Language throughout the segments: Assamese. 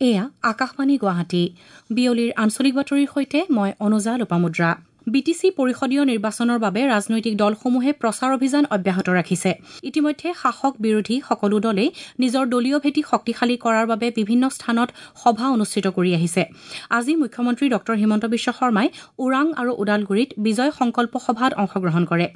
এয়া আকাশবাণী গুৱাহাটী। বিয়লিৰ আঞ্চলিক বাতৰিৰ সৈতে মই অনুজা লোপামুদ্ৰা। বিটিচি পৰিষদীয় নিৰ্বাচনৰ বাবে ৰাজনৈতিক দলসমূহে প্ৰচাৰ অভিযান অব্যাহত ৰাখিছে। ইতিমধ্যে শাসক বিৰোধী সকলো দলেই নিজৰ দলীয় ভেটি শক্তিশালী কৰাৰ বাবে বিভিন্ন স্থানত সভা অনুষ্ঠিত কৰি আহিছে। আজি মুখ্যমন্ত্ৰী ডঃ হিমন্ত বিশ্ব শৰ্মাই ওৰাং আৰু ওদালগুৰিত বিজয় সংকল্প সভাত অংশগ্ৰহণ কৰে।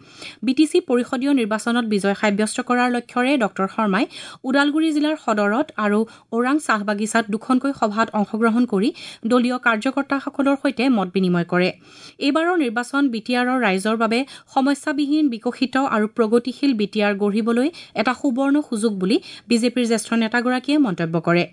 বিটিচি পৰিষদীয় নিৰ্বাচনত বিজয় সাব্যস্ত কৰাৰ লক্ষ্যৰে ডঃ শৰ্মাই ওদালগুৰি জিলাৰ সদৰত আৰু ওৰাং চাহ বাগিচাত দুখনকৈ সভাত অংশগ্ৰহণ কৰি দলীয় কাৰ্যকৰ্তাসকলৰ সৈতে মত বিনিময় কৰে। এইবাৰৰ নিৰ্বাচন বিটিআৰৰ ৰাইজৰ বাবে সমস্যাবিহীন বিকশিত আৰু প্ৰগতিশীল বিটিআৰ গঢ়িবলৈ এটা সুবৰ্ণ সুযোগ বুলি বিজেপিৰ জ্যেষ্ঠ নেতাগৰাকীয়ে মন্তব্য কৰে।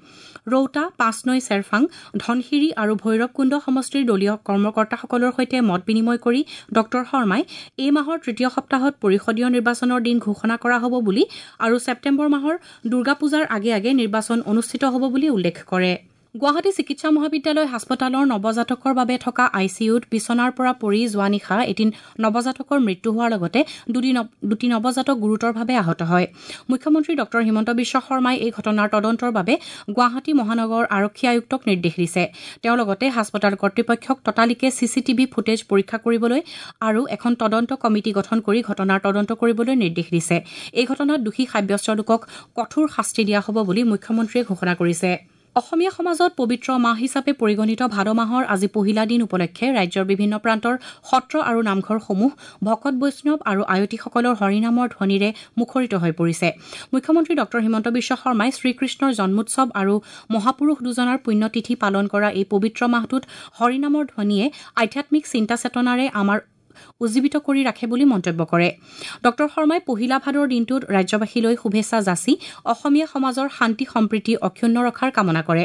ৰৌতা, পাঁচনৈ চেৰফাং, ধনশিৰি আৰু ভৈৰৱকুণ্ড সমষ্টিৰ দলীয় কৰ্মকৰ্তাসকলৰ সৈতে মত বিনিময় কৰি ডঃ শৰ্মাই এই মাহৰ তৃতীয় সপ্তাহত পৰিষদীয় নিৰ্বাচনৰ দিন ঘোষণা কৰা হ'ব বুলি আৰু ছেপ্টেম্বৰ মাহৰ দুৰ্গা পূজাৰ আগে আগে নিৰ্বাচন অনুষ্ঠিত হ'ব বুলি উল্লেখ কৰে। গুৱাহাটী চিকিৎসা মহাবিদ্যালয় হাস্পতালৰ নৱজাতকৰ বাবে থকা I C ইউত বিছনাৰ পৰা পৰি যোৱা নিশা এটি নৱজাতকৰ মৃত্যু হোৱাৰ লগতে দুটি নৱজাতক গুৰুতৰভাৱে আহত হয়। মুখ্যমন্ত্ৰী ডঃ হিমন্ত বিশ্ব শৰ্মাই এই ঘটনাৰ তদন্তৰ বাবে গুৱাহাটী মহানগৰ আৰক্ষী আয়ুক্তক নিৰ্দেশ দিছে। তেওঁ লগতে হাস্পতাল কৰ্তৃপক্ষক ততালিকে চি চি টিভি ফুটেজ পৰীক্ষা কৰিবলৈ আৰু এখন তদন্ত কমিটি গঠন কৰি ঘটনাৰ তদন্ত কৰিবলৈ নিৰ্দেশ দিছে। এই ঘটনাত দোষী সাব্যস্ত লোকক কঠোৰ শাস্তি দিয়া হ'ব বুলি মুখ্যমন্ত্ৰীয়ে ঘোষণা কৰিছে। অসমীয়া সমাজত পবিত্ৰ মাহ হিচাপে পৰিগণিত ভাদ মাহৰ আজি পহিলা দিন উপলক্ষে ৰাজ্যৰ বিভিন্ন প্ৰান্তৰ সত্ৰ আৰু নামঘৰসমূহ ভকত বৈষ্ণৱ আৰু আয়তীসকলৰ হৰিনামৰ ধ্বনিৰে মুখৰিত হৈ পৰিছে। মুখ্যমন্ত্ৰী ডঃ হিমন্ত বিশ্ব শৰ্মাই শ্ৰীকৃষ্ণৰ জন্মোৎসৱ আৰু মহাপুৰুষ দুজনাৰ পুণ্যতিথি পালন কৰা এই পবিত্ৰ মাহটোত হৰিনামৰ ধ্বনিয়ে আধ্যাত্মিক চিন্তা চেতনাৰে আমাৰ উজ্জীৱিত কৰি ৰাখে বুলি মন্তব্য কৰে। ডঃ শৰ্মাই পহিলা ভাদৰ দিনটোত ৰাজ্যবাসীলৈ শুভেচ্ছা যাচি অসমীয়া সমাজৰ শান্তি সম্প্ৰীতি অক্ষুণ্ণ ৰখাৰ কামনা কৰে।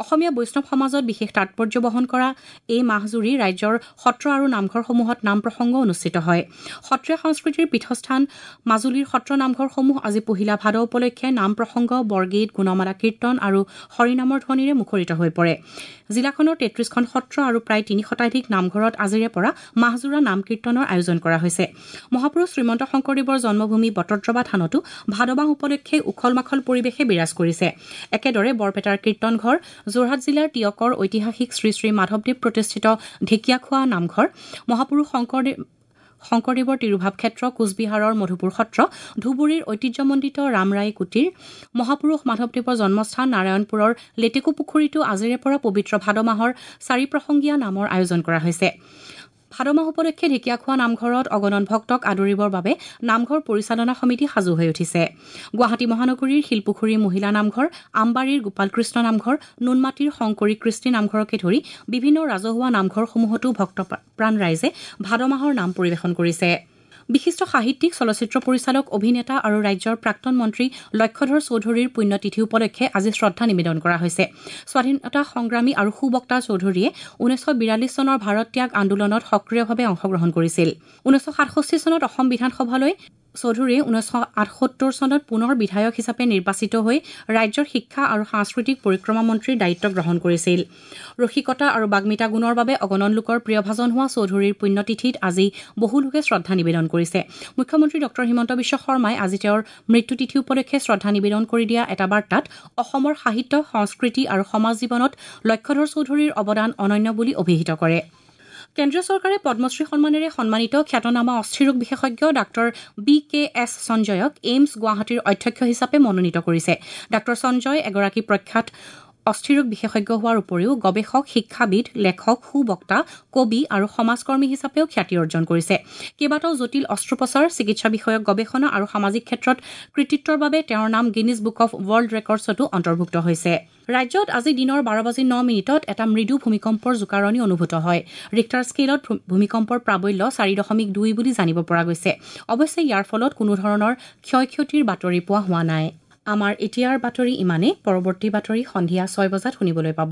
অসমীয়া বৈষ্ণৱ সমাজত বিশেষ তাৎপৰ্য বহন কৰা এই মাহজুৰি ৰাজ্যৰ সত্ৰ আৰু নামঘৰসমূহত নাম প্ৰসংগ অনুষ্ঠিত হয়। সত্ৰীয়া সংস্কৃতিৰ পীঠস্থান মাজুলীৰ সত্ৰ নামঘৰসমূহ আজি পহিলা ভাদ উপলক্ষে নাম প্ৰসংগ, বৰগীত, গুণমালা কীৰ্তন আৰু হৰিনামৰ ধ্বনিৰে মুখৰিত হৈ পৰে। জিলাখনৰ 33খন সত্ৰ আৰু প্ৰায় 3 শতাধিক নামঘৰত আজিৰে পৰা মাহজোৰা নাম কীৰ্তনৰ আয়োজন কৰা হৈছে। মহাপুৰুষ শ্ৰীমন্ত শংকৰদেৱৰ জন্মভূমি বটদ্ৰৱা থানতো ভাদ মাহ উপলক্ষে উখল মাখল পৰিৱেশে বিৰাজ কৰিছে। একেদৰে বৰপেটাৰ কীৰ্তনঘৰ, যোৰহাট জিলাৰ টীয়কৰ ঐতিহাসিক শ্ৰী শ্ৰী মাধৱদেৱ প্ৰতিষ্ঠিত ঢেকীয়াখোৱা নামঘৰ, মহাপুৰুষ শংকৰদেৱৰ তিৰুভাৱ ক্ষেত্ৰ, কোচবিহাৰৰ মধুপুৰ সত্ৰ, ধুবুৰীৰ ঐতিহ্যমণ্ডিত ৰামৰায় কুটীৰ, মহাপুৰুষ মাধৱদেৱৰ জন্মস্থান নাৰায়ণপুৰৰ লেটেকু পুখুৰীতো আজিৰে পৰা পবিত্ৰ ভাদ মাহৰ চাৰি প্ৰসংগীয়া নামৰ আয়োজন কৰা হৈছে। ভাদ মাহ উপলক্ষে ঢেকীয়াখোৱা নামঘৰত অগণন ভক্তক আদৰিবৰ বাবে নামঘৰ পৰিচালনা সমিতি সাজু হৈ উঠিছে। গুৱাহাটী মহানগৰীৰ শিলপুখুৰী মহিলা নামঘৰ, আমবাৰীৰ গোপালকৃষ্ণ নামঘৰ, নুনমাটিৰ শংকৰী কৃষ্টি নামঘৰকে ধৰি বিভিন্ন ৰাজহুৱা নামঘৰসমূহতো ভক্তপ্ৰাণ ৰাইজে ভাদ মাহৰ নাম পৰিৱেশন কৰিছে। বিশিষ্ট সাহিত্যিক, চলচ্চিত্ৰ পৰিচালক, অভিনেতা আৰু ৰাজ্যৰ প্ৰাক্তন মন্ত্ৰী লক্ষ্যধৰ চৌধুৰীৰ পুণ্যতিথি উপলক্ষে আজি শ্ৰদ্ধা নিবেদন কৰা হৈছে। স্বাধীনতা সংগ্ৰামী আৰু সুবক্তা চৌধুৰীয়ে 1942 চনৰ ভাৰত ত্যাগ আন্দোলনত সক্ৰিয়ভাৱে অংশগ্ৰহণ কৰিছিল। 1967 চনত অসম বিধানসভালৈ চৌধুৰীয়ে 1978 চনত পুনৰ বিধায়ক হিচাপে নিৰ্বাচিত হৈ ৰাজ্যৰ শিক্ষা আৰু সাংস্কৃতিক পৰিক্ৰমা মন্ত্ৰীৰ দায়িত্ব গ্ৰহণ কৰিছিল। ৰসিকতা আৰু বাগ্মিতা গুণৰ বাবে অগণন লোকৰ প্ৰিয়ভাজন হোৱা চৌধুৰীৰ পুণ্যতিথিত আজি বহু লোকে শ্ৰদ্ধা নিবেদন কৰিছে। মুখ্যমন্ত্ৰী ডঃ হিমন্ত বিশ্ব শৰ্মাই আজি তেওঁৰ মৃত্যুতিথি উপলক্ষে শ্ৰদ্ধা নিবেদন কৰি দিয়া এটা বাৰ্তাত অসমৰ সাহিত্য, সংস্কৃতি আৰু সমাজ জীৱনত লক্ষ্যধৰ চৌধুৰীৰ অৱদান অনন্য বুলি অভিহিত কৰে। কেন্দ্ৰীয় চৰকাৰে পদ্মশ্ৰী সন্মানেৰে সন্মানিত খ্যাতনামা অস্থিৰোগ বিশেষজ্ঞ ডাঃ বি কে এছ সঞ্জয়ক এইমছ গুৱাহাটীৰ অধ্যক্ষ হিচাপে মনোনীত কৰিছে। ডাঃ সঞ্জয় এগৰাকী প্ৰখ্যাত অস্থিৰোগ বিশেষজ্ঞ হোৱাৰ উপৰিও গৱেষক, শিক্ষাবিদ, লেখক, সুবক্তা, কবি আৰু সমাজকৰ্মী হিচাপেও খ্যাতি অৰ্জন কৰিছে। কেইবাটাও জটিল অস্ত্ৰোপচাৰ, চিকিৎসা বিষয়ক গৱেষণা আৰু সামাজিক ক্ষেত্ৰত কৃতিত্বৰ বাবে তেওঁৰ নাম গিনিজ বুক অৱ ৱৰ্ল্ড ৰেকৰ্ডছতো অন্তৰ্ভুক্ত হৈছে। ৰাজ্যত আজি দিনৰ 12:09 এটা মৃদু ভূমিকম্পৰ জোকাৰণি অনুভূত হয়। ৰিক্টাৰ স্কেলত ভূমিকম্পৰ প্ৰাবল্য 4.2 বুলি জানিব পৰা গৈছে। অৱশ্যে ইয়াৰ ফলত কোনো ধৰণৰ ক্ষয় ক্ষতিৰ বাতৰি পোৱা হোৱা নাই। আমাৰ এতিয়াৰ বাতৰি ইমানেই। পৰৱৰ্তী বাতৰি সন্ধিয়া 6 বজাত শুনিবলৈ পাব।